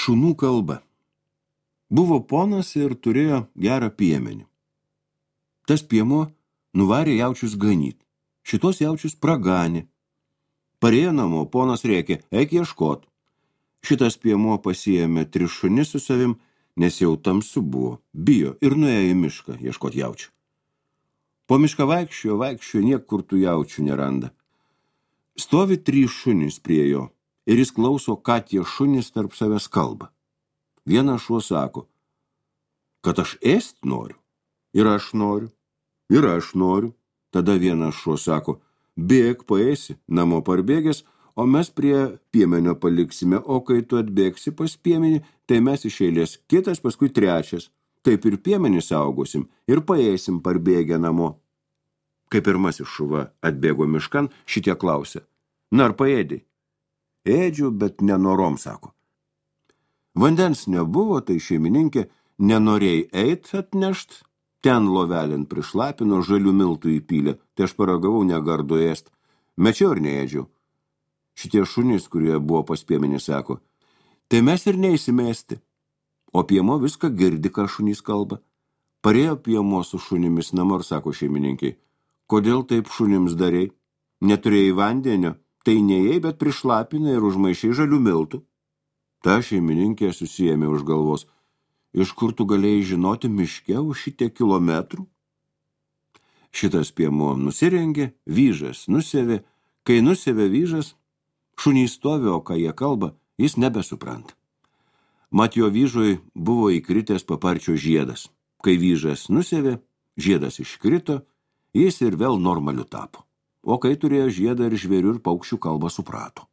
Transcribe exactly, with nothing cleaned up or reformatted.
Šunų kalba. Buvo ponas ir turėjo gerą piemenį. Tas piemo nuvarė jaučius ganyt. Šitos jaučius praganė. Parėjo namo, ponas rėkė, eik ieškot. Šitas piemo pasiėmė tris šunis su savim, nes jau tamsu buvo, bijo ir nuėjo į mišką ieškot jaučių. Po mišką vaikščiojo, vaikščiojo, niekur tų jaučių neranda. Stovi trys šunys prie jo ir jis klauso, ką tie šunys tarp savęs kalba. Vienas šuo sako, kad aš ėst noriu, ir aš noriu, ir aš noriu. Tada vienas šuo sako, bėk, paėsi, namo parbėgęs, o mes prie piemenio paliksime, o kai tu atbėgsi pas piemenį, tai mes iš eilės kitas, paskui trečias. Taip ir piemenį saugosim ir paėsim parbėgę namo. Kai pirmasis šuva atbėgo miškan, šitie klausė, na ar paėdai? Ėdžiu, bet nenorom, sako. Vandens nebuvo, tai šeimininkė nenorėjai eit atnešt, ten lovelin prišlapino, žalių miltų įpylė, tai aš paragavau negardu ėst, mečiau ir neėdžiau. Šitie šunys, kurie buvo pas piemenį, sako, tai mes ir neįsimesti. O piemo viską girdi, ką šunys kalba. Parėjo piemo su šunimis namo ir sako šeimininkiai, kodėl taip šunims darei? Neturėjai vandenio, tai neėjai, bet prišlapinai ir užmaišiai žalių miltų. Ta šeimininkė susiėmė už galvos, iš kur tu galėjai žinoti miške už šitiek kilometrų? Šitas piemo nusirengė, vyžas nusėvė, kai nusėvė vyžas, šunys stovi, o ką jie kalba, jis nebesupranta. Mat jo vyžui buvo įkritęs paparčio žiedas. Kai vyžas nusėvė, žiedas iškrito, jis ir vėl normaliu tapo. O kai turėjo žiedą ir žvėrių ir paukščių kalbą suprato.